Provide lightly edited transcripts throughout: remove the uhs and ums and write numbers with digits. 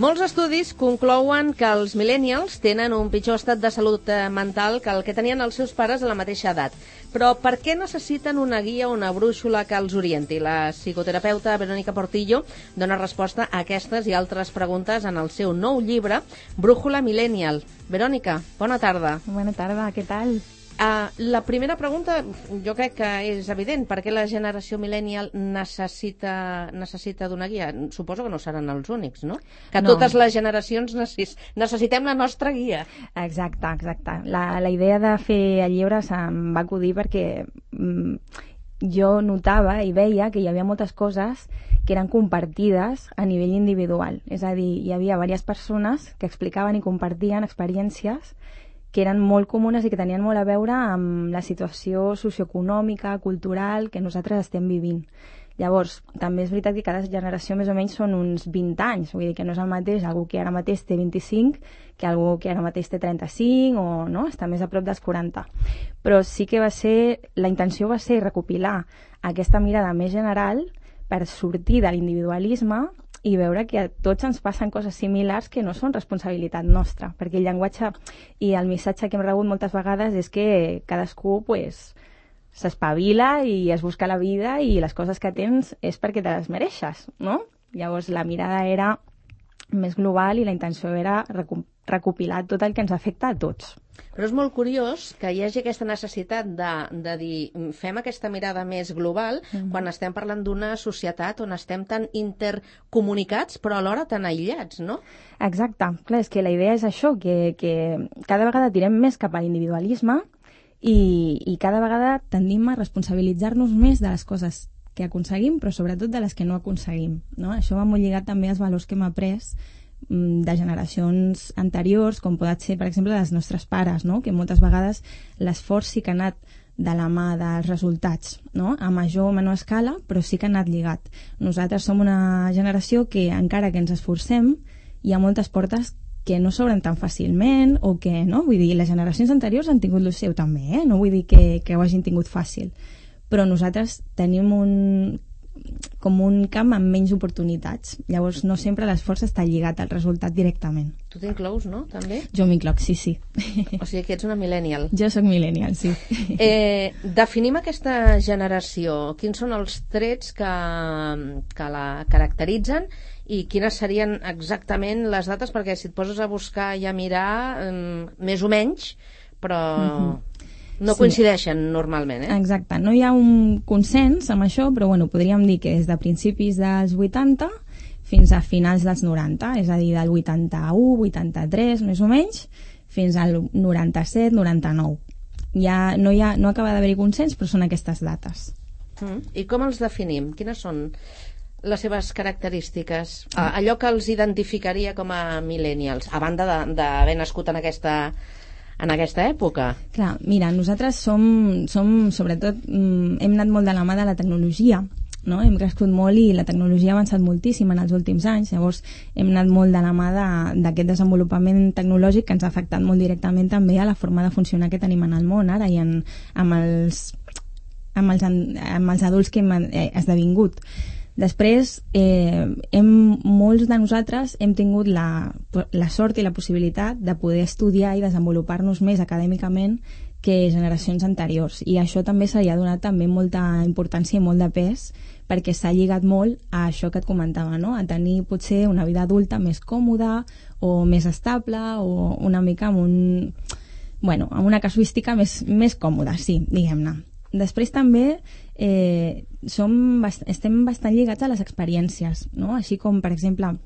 Molts estudis conclouen que els millennials tenen un pitjor estat de salut mental que el que tenien els seus pares a la mateixa edat. Però per què necessiten una guia o una brúixola que els orienti? La psicoterapeuta Verónica Portillo dona resposta a aquestes i altres preguntes en el seu nou llibre, Brújula Millennial. Verónica, bona tarda. Bona tarda, què tal? La primera pregunta jo crec que és evident. Per què la generació millennial necessita d'una guia? Suposo que no seran els únics, no? Que No. Totes les generacions necessitem la nostra guia. Exacte. La idea de fer el llibre se'm va acudir perquè jo notava i veia que hi havia moltes coses que eren compartides a nivell individual. És a dir, hi havia diverses persones que explicaven i compartien experiències que eren molt comunes i que tenien molt a veure amb la situació socioeconòmica, cultural que nosaltres estem vivint. Llavors, també és veritat que cada generació més o menys són uns 20 anys, vull dir que no és el mateix algú que ara mateix té 25 que algú que ara mateix té 35 o no, està més a prop dels 40. Però sí que la intenció va ser recopilar aquesta mirada més general per sortir de l'individualisme i veure que a tots ens passen coses similars que no són responsabilitat nostra, perquè el llenguatge i el missatge que hem rebut moltes vegades és que cadascú s'espavila i es busca la vida i les coses que tens és perquè te les mereixes, no? Llavors la mirada era més global i la intenció era recopilar tot el que ens afecta a tots. Però és molt curiós que hi hagi aquesta necessitat de dir fem aquesta mirada més global quan estem parlant d'una societat on estem tan intercomunicats però alhora tan aïllats, no? Exacte. Clar, és que la idea és això, que cada vegada tirem més cap a l'individualisme i cada vegada tendim a responsabilitzar-nos més de les coses que aconseguim, però sobretot de les que no aconseguim, no? Això va molt lligat també als valors que hem après de generacions anteriors, com poden ser, per exemple, dels nostres pares, no? Que moltes vegades l'esforç sí que ha anat de la mà dels resultats, no? A major o menor escala, però sí que ha anat lligat. Nosaltres som una generació que, encara que ens esforcem, hi ha moltes portes que no s'obren tan fàcilment o que, no? Vull dir, les generacions anteriors han tingut el seu també, no vull dir que ho hagin tingut fàcil. Però nosaltres tenim com un camp amb menys oportunitats. Llavors no sempre l'esforç està lligat al resultat directament. Tu t'inclous, no? També? Jo m'icloc, sí. O sigui que ets una millennial. Jo sóc millennial, sí. Definim aquesta generació. Quins són els trets que la caracteritzen i quines serien exactament les dates? Perquè si et poses a buscar i a mirar, més o menys, però no coincideixen normalment, Exacte, no hi ha un consens amb això, però bueno, podríem dir que des de principis dels 80 fins a finals dels 90, és a dir, del 81, 83, més o menys, fins al 97, 99. No acaba d'haver-hi consens, però són aquestes dates. I com els definim? Quines són les seves característiques? Allò que els identificaria com a millennials, a banda d'haver nascut en aquesta època? Clar, mira, nosaltres som sobretot, hem anat molt de la mà de la tecnologia, no? Hem crescut molt i la tecnologia ha avançat moltíssim en els últims anys, llavors hem anat molt de la mà d'aquest desenvolupament tecnològic que ens ha afectat molt directament també a la forma de funcionar que tenim en el món ara i amb els adults que hem esdevingut. Després, molts de nosaltres hem tingut la sort i la possibilitat de poder estudiar i desenvolupar-nos més acadèmicament que generacions anteriors, i això també se li ha donat també molta importància i molt de pes perquè s'ha lligat molt a això que et comentava, no? A tenir potser una vida adulta més còmoda o més estable o una mica amb una casuística més còmoda, sí, diguem-ne. Després també estem bastant lligats a les experiències, no? Així com, per exemple,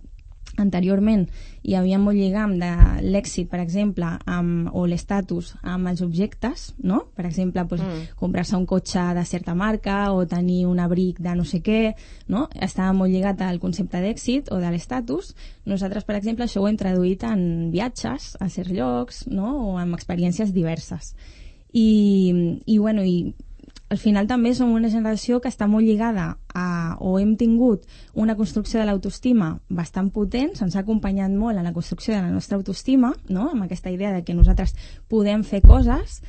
anteriorment hi havia molt lligam de l'èxit, per exemple, o l'estatus amb els objectes, no? Per exemple, comprar-se un cotxe de certa marca o tenir un abric de no sé què, no? Estava molt lligat al concepte d'èxit o de l'estatus. Nosaltres, per exemple, això ho hem traduït en viatges a certs llocs, no? O amb experiències diverses. I al final també som una generació que està molt lligada o hem tingut una construcció de l'autoestima bastant potent, se'ns ha acompanyat molt en la construcció de la nostra autoestima, no? Amb aquesta idea de que nosaltres podem fer coses,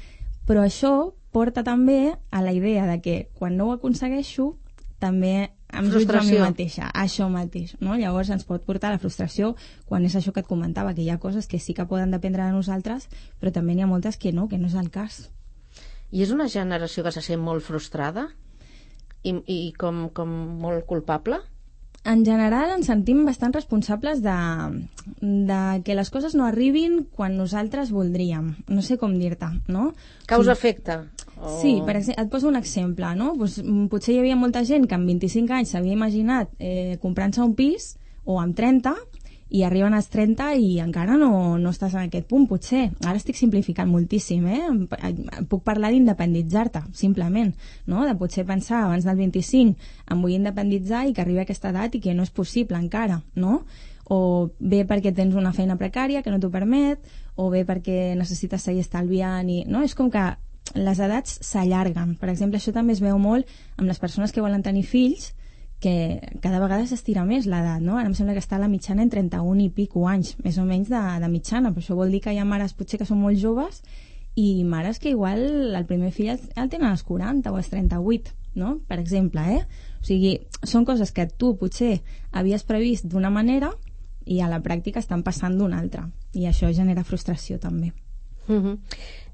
però això porta també a la idea de que quan no ho aconsegueixo també em jutjo a mi mateixa, això mateix, no? Llavors ens pot portar a la frustració quan és això que et comentava, que hi ha coses que sí que poden dependre de nosaltres, però també n'hi ha moltes que no és el cas. I és una generació que se sent molt frustrada i com molt culpable? En general ens sentim bastant responsables de que les coses no arribin quan nosaltres voldríem. No sé com dir-te, no? Causa-efecte. Sí, per exemple, et poso un exemple, no? Pues, potser hi havia molta gent que amb 25 anys s'havia imaginat comprant-se un pis, o amb 30, i arriben als 30 i encara no estàs en aquest punt, potser. Ara estic simplificant moltíssim, puc parlar d'independitzar-te, simplement, no? De potser pensar abans del 25 em vull independitzar i que arribi a aquesta edat i que no és possible encara, no? O bé perquè tens una feina precària que no t'ho permet, o bé perquè necessites seguir estalviant, no? És com que les edats s'allarguen. Per exemple, això també es veu molt amb les persones que volen tenir fills, que cada vegada s'estira més l'edat, no? Ara em sembla que està a la mitjana en 31 i pico anys, més o menys de mitjana, però això vol dir que hi ha mares potser que són molt joves i mares que igual el primer fill el tenen als 40 o als 38, no? Per exemple, O sigui, són coses que tu potser havies previst d'una manera i a la pràctica estan passant d'una altra, i això genera frustració també.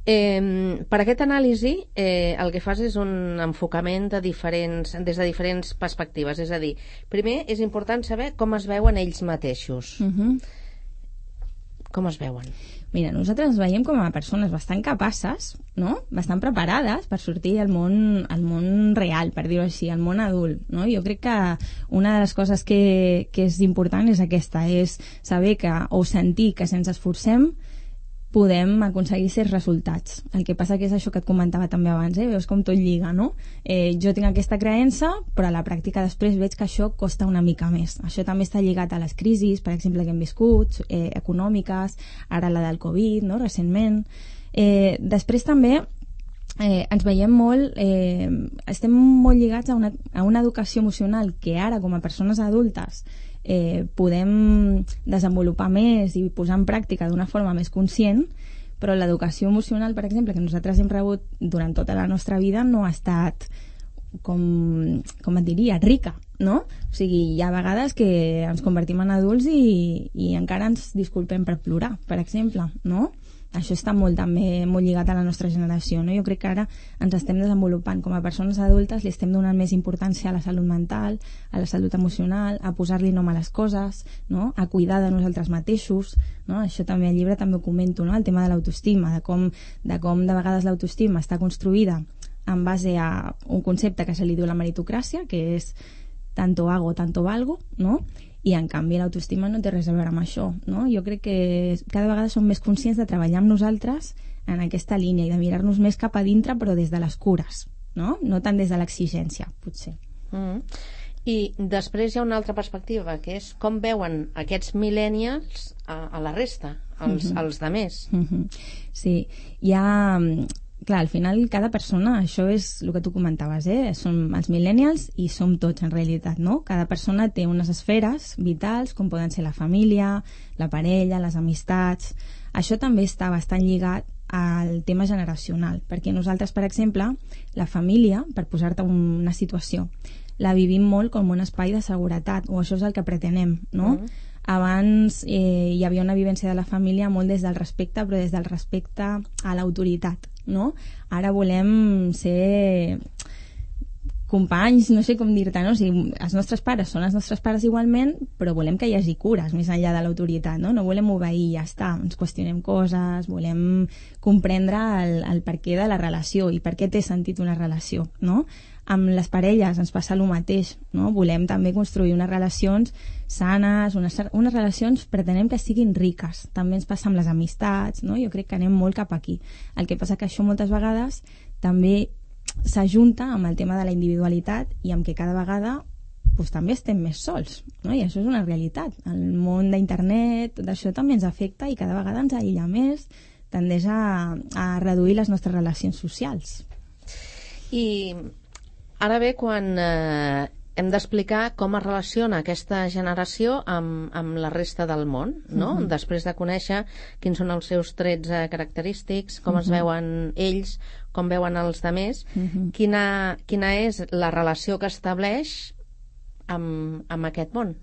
Per aquest anàlisi el que fas és un enfocament des de diferents perspectives, és a dir, primer és important saber com es veuen ells mateixos. Com es veuen? Mira, nosaltres ens veiem com a persones bastant capaces, no? Bastant preparades per sortir al món real, per dir-ho així, al món adult, no? Jo crec que una de les coses que és important és aquesta, és saber o sentir que si ens esforcem podem aconseguir certs resultats. El que passa que és això que et comentava també abans, veus com tot lliga, no? Jo tinc aquesta creença, però a la pràctica després veig que això costa una mica més. Això també està lligat a les crisis, per exemple, que hem viscut, econòmiques, ara la del Covid, no?, recentment. Després també ens veiem molt, estem molt lligats a una educació emocional que ara, com a persones adultes, podem desenvolupar més i posar en pràctica d'una forma més conscient, però l'educació emocional, per exemple, que nosaltres hem rebut durant tota la nostra vida no ha estat, com et diria, rica, no? O sigui, hi ha vegades que ens convertim en adults i encara ens disculpem per plorar, per exemple, no? Això està també molt lligat a la nostra generació, no? Jo crec que ara ens estem desenvolupant com a persones adultes, li estem donant més importància a la salut mental, a la salut emocional, a posar-li nom a les coses, no? A cuidar de nosaltres mateixos, no? Això també al llibre també ho comento, no? El tema de l'autoestima, de com de vegades l'autoestima està construïda en base a un concepte que se li diu la meritocràcia, que és tanto hago, tanto valgo, no? I en canvi l'autoestima no té res a veure amb això, no? Jo crec que cada vegada som més conscients de treballar amb nosaltres en aquesta línia i de mirar-nos més cap a dintre, però des de les cures, no? No tant des de l'exigència, potser. I després hi ha una altra perspectiva, que és com veuen aquests millennials a la resta, els de més. Sí, hi ha... Clar, al final cada persona, això és el que tu comentaves, som els millennials i som tots en realitat, no? Cada persona té unes esferes vitals, com poden ser la família, la parella, les amistats. Això també està bastant lligat al tema generacional, perquè nosaltres, per exemple, la família, per posar-te una situació, la vivim molt com un espai de seguretat, o això és el que pretenem, no? Abans hi havia una vivència de la família molt des del respecte, però des del respecte a l'autoritat, no? Ara volem ser companys, no sé com dir-te, no? O sigui, els nostres pares són els nostres pares igualment, però volem que hi hagi cures més enllà de l'autoritat, no? No volem obeir i ja està, ens qüestionem coses, volem comprendre el perquè de la relació i per què té sentit una relació, no? Amb les parelles ens passa el mateix, no? Volem també construir unes relacions sanes, unes relacions pretenem que siguin riques. També ens passa amb les amistats, no? Jo crec que anem molt cap aquí. El que passa que això moltes vegades també s'ajunta amb el tema de la individualitat i amb que cada vegada doncs, també estem més sols, no? I això és una realitat. El món d'internet, tot això també ens afecta i cada vegada ens aïlla més, tendeix a reduir les nostres relacions socials. I ara ve quan hem d'explicar com es relaciona aquesta generació amb la resta del món, no? Després de conèixer quins són els seus trets característics, com es veuen ells, com veuen els demés, quina és la relació que estableix amb aquest món.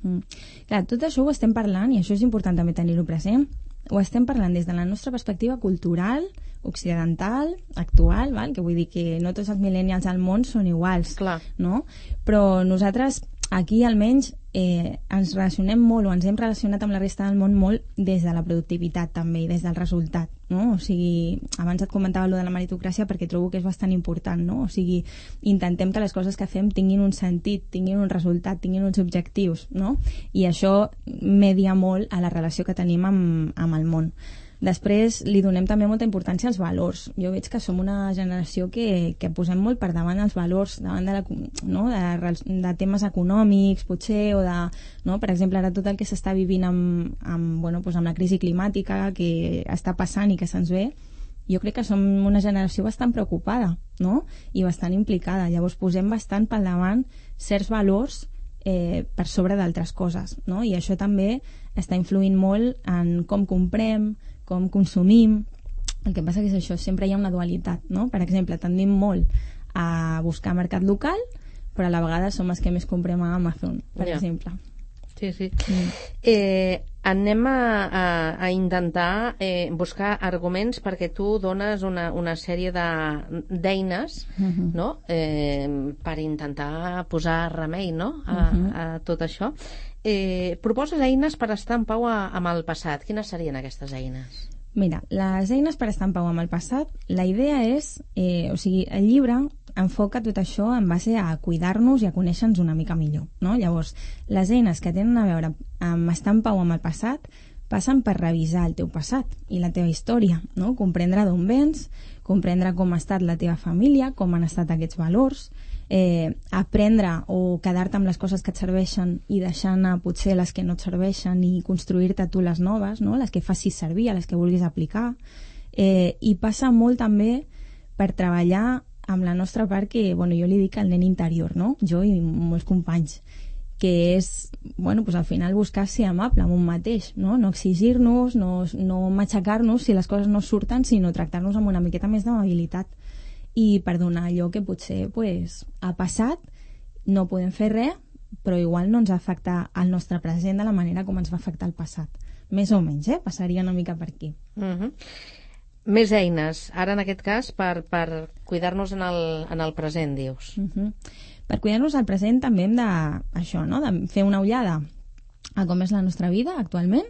Clar, tot això ho estem parlant, i això és important també tenir-ho present, ho estem parlant des de la nostra perspectiva cultural, occidental, actual, val? Que vull dir que no tots els millennials al món són iguals, clar, no? Però nosaltres aquí almenys ens relacionem molt, o ens hem relacionat amb la resta del món molt des de la productivitat també, i des del resultat, no? O sigui, abans et comentava allò de la meritocràcia perquè trobo que és bastant important, no? O sigui, intentem que les coses que fem tinguin un sentit, tinguin un resultat, tinguin uns objectius, no? I això media molt a la relació que tenim amb el món. Després li donem també molta importància als valors. Jo veig que som una generació que posem molt per davant els valors, davant de temes econòmics, potser, o de, no? Per exemple, ara tot el que s'està vivint amb la crisi climàtica que està passant i que se'ns ve, jo crec que som una generació bastant preocupada, no? I bastant implicada. Llavors posem bastant pel davant certs valors per sobre d'altres coses, no? I això també està influint molt en com comprem, com consumim. El que passa que és això, sempre hi ha una dualitat, no? Per exemple, tendim molt a buscar mercat local, però a la vegada som els que més comprem a Amazon, per exemple. Sí, sí. Anem a intentar buscar arguments, perquè tu dones una sèrie d'eines, no? Per intentar posar remei, no? A tot això. Proposes eines per estar en pau amb el passat. Quines serien aquestes eines? Mira, les eines per estar en pau amb el passat, la idea és, o sigui, el llibre enfoca tot això en base a cuidar-nos i a conèixer-nos una mica millor, no? Llavors, les eines que tenen a veure amb estar en pau amb el passat passen per revisar el teu passat i la teva història, no? Comprendre d'on vens, comprendre com ha estat la teva família, com han estat aquests valors, aprendre o quedar-te amb les coses que et serveixen i deixar anar potser les que no et serveixen i construir-te tu les noves, no? Les que facis servir, a les que vulguis aplicar, i passa molt també per treballar amb la nostra part que, jo li dic el nen interior, no? Jo i molts companys, que és, pues al final buscar ser amable amb un mateix, no? No exigir-nos, no matxacar-nos si les coses no surten, sinó tractar-nos amb una miqueta més d'amabilitat i perdonar allò que potser ha passat, no podem fer res, però igual no ens afecta el nostre present de la manera com ens va afectar el passat. Més o menys, passaria una mica per aquí. Més eines, ara en aquest cas per cuidar-nos en el present, dius. Per cuidar-nos al present també hem de fer una ullada a com és la nostra vida actualment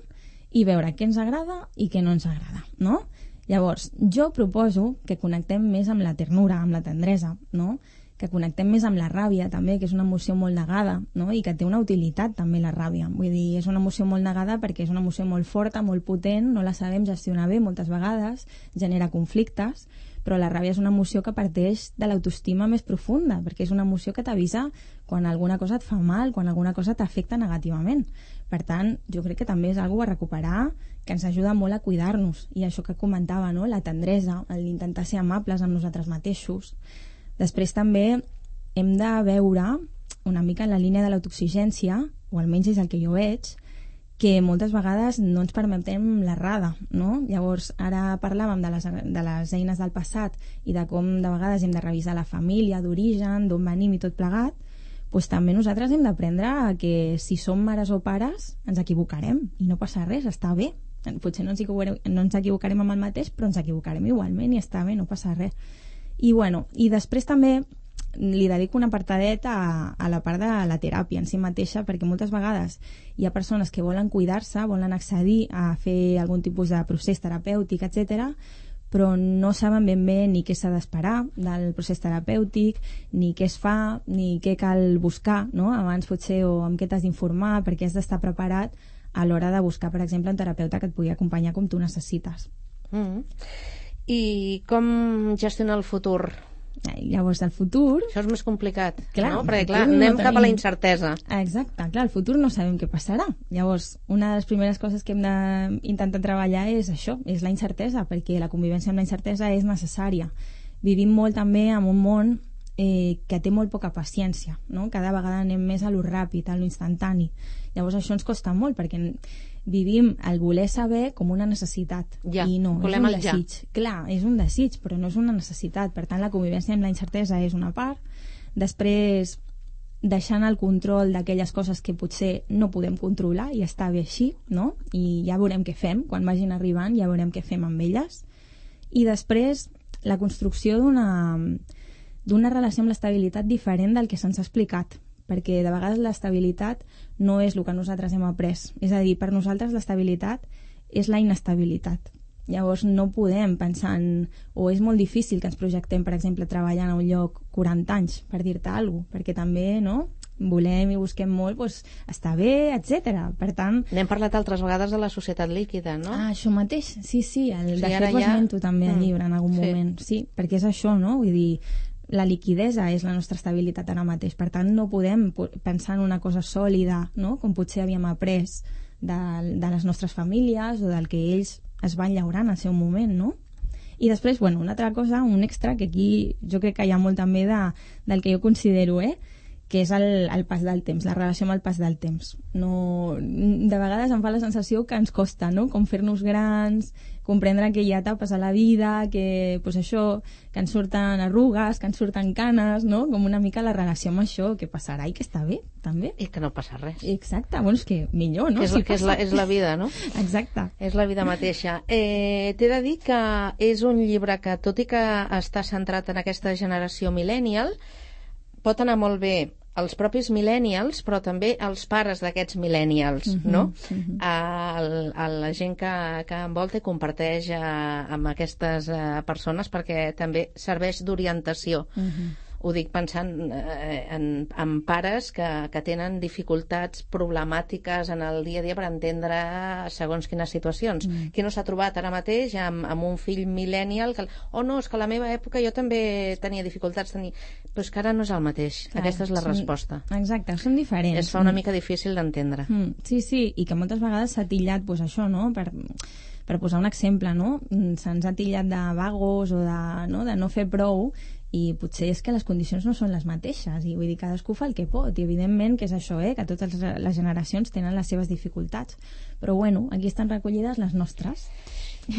i veure què ens agrada i què no ens agrada, no? Llavors, jo proposo que connectem més amb la ternura, amb la tendresa, no? Que connectem més amb la ràbia també, que és una emoció molt negada, no? I que té una utilitat també la ràbia. Vull dir, és una emoció molt negada perquè és una emoció molt forta, molt potent, no la sabem gestionar bé moltes vegades, genera conflictes, però la ràbia és una emoció que parteix de l'autoestima més profunda, perquè és una emoció que t'avisa quan alguna cosa et fa mal, quan alguna cosa t'afecta negativament. Per tant, jo crec que també és una cosa a recuperar, que ens ajuda molt a cuidar-nos, i això que comentava, no? La tendresa, l'intentar ser amables amb nosaltres mateixos. Després també hem de veure una mica en la línia de l'autoexigència, o almenys és el que jo veig, que moltes vegades no ens permetem l'errada, no? Llavors, ara parlàvem de les eines del passat i de com de vegades hem de revisar la família, d'origen, d'on venim i tot plegat, doncs també nosaltres hem d'aprendre que si som mares o pares ens equivocarem i no passa res, està bé. Potser no ens equivocarem amb el mateix, però ens equivocarem igualment i està bé, no passa res. I després també li dedico un apartadet a la part de la teràpia en si mateixa, perquè moltes vegades hi ha persones que volen cuidar-se, volen accedir a fer algun tipus de procés terapèutic, etc., però no saben ben bé ni què s'ha d'esperar del procés terapèutic, ni què es fa, ni què cal buscar, no? Abans potser, o amb què t'has d'informar, perquè has d'estar preparat a l'hora de buscar, per exemple, un terapeuta que et pugui acompanyar com tu necessites. I com gestionar el futur? Llavors, el futur... Això és més complicat, clar, no? Perquè, clar, anem cap a la incertesa. Exacte, clar, el futur no sabem què passarà. Llavors, una de les primeres coses que hem d'intentar treballar és això, és la incertesa, perquè la convivència amb la incertesa és necessària. Vivim molt també en un món que té molt poca paciència, no? Cada vegada anem més a lo ràpid, a lo instantani. Llavors això ens costa molt, perquè vivim el voler saber com una necessitat, i no, és un desig. Clar, és un desig, però no és una necessitat. Per tant, la convivència amb la incertesa és una part. Després, deixant el control d'aquelles coses que potser no podem controlar i està bé així, no? I ja veurem què fem, quan vagin arribant ja veurem què fem amb elles. I després la construcció d'una relació amb l'estabilitat diferent del que se'ns ha explicat, perquè de vegades l'estabilitat no és el que nosaltres hem après. És a dir, per nosaltres l'estabilitat és la inestabilitat. Llavors no podem pensar en... o és molt difícil que ens projectem, per exemple, treballant a un lloc 40 anys, per dir-te alguna cosa, perquè també, no?, volem i busquem molt, doncs, està bé, etc. Per tant... N'hem parlat altres vegades de la societat líquida, no? Ah, això mateix, sí, de fet ho esmento també al llibre en algun moment, sí, perquè és això, no?, vull dir, la liquidesa és la nostra estabilitat ara mateix, per tant no podem pensar en una cosa sòlida, no?, com potser havíem après de les nostres famílies o del que ells es van llaurant al seu moment, no? I després, bueno, una altra cosa, un extra, que aquí jo crec que hi ha molt també del que jo considero, que és el pas del temps, la relació amb el pas del temps. No, de vegades em fa la sensació que ens costa, no?, com fer-nos grans, comprendre que hi ha etapes a la vida, que, pues això, que ens surten arrugues, que ens surten canes, no?, com una mica la relació amb això, que passarà i que està bé, també. I que no passa res. Exacte, bueno, és que millor, no? Que és la vida, no? Exacte. És la vida mateixa. T'he de dir que és un llibre que, tot i que està centrat en aquesta generació millennial, pot anar molt bé els propis millennials, però també els pares d'aquests millennials, no? A la gent que envolta i comparteix amb aquestes persones, perquè també serveix d'orientació. Ho dic pensant en pares que tenen dificultats problemàtiques en el dia a dia per entendre segons quines situacions. Qui no s'ha trobat ara mateix amb un fill millennial que, no, és que a la meva època jo també tenia dificultats, però és que ara no és el mateix. Clar, aquesta és la resposta. Exacte, són diferents. Es fa una mica difícil d'entendre. Sí, i que moltes vegades s'ha tillat pues, això, no?, per posar un exemple, no? Se'ns ha tillat de vagos o de no fer prou, i potser és que les condicions no són les mateixes, i vull dir, cadascú fa el que pot, i evidentment que és això, que totes les generacions tenen les seves dificultats, però bueno, aquí estan recollides les nostres.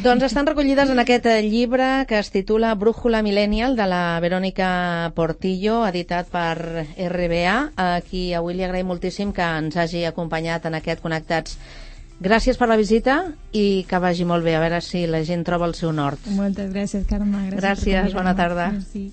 Doncs estan recollides en aquest llibre que es titula Brújula Millennial, de la Verònica Portillo, editat per RBA, a qui avui li agraïm moltíssim que ens hagi acompanyat en aquest Connectats. Gràcies per la visita i que vagi molt bé, a veure si la gent troba el seu nord. Moltes gràcies, Carme. Gràcies, bona tarda. Merci.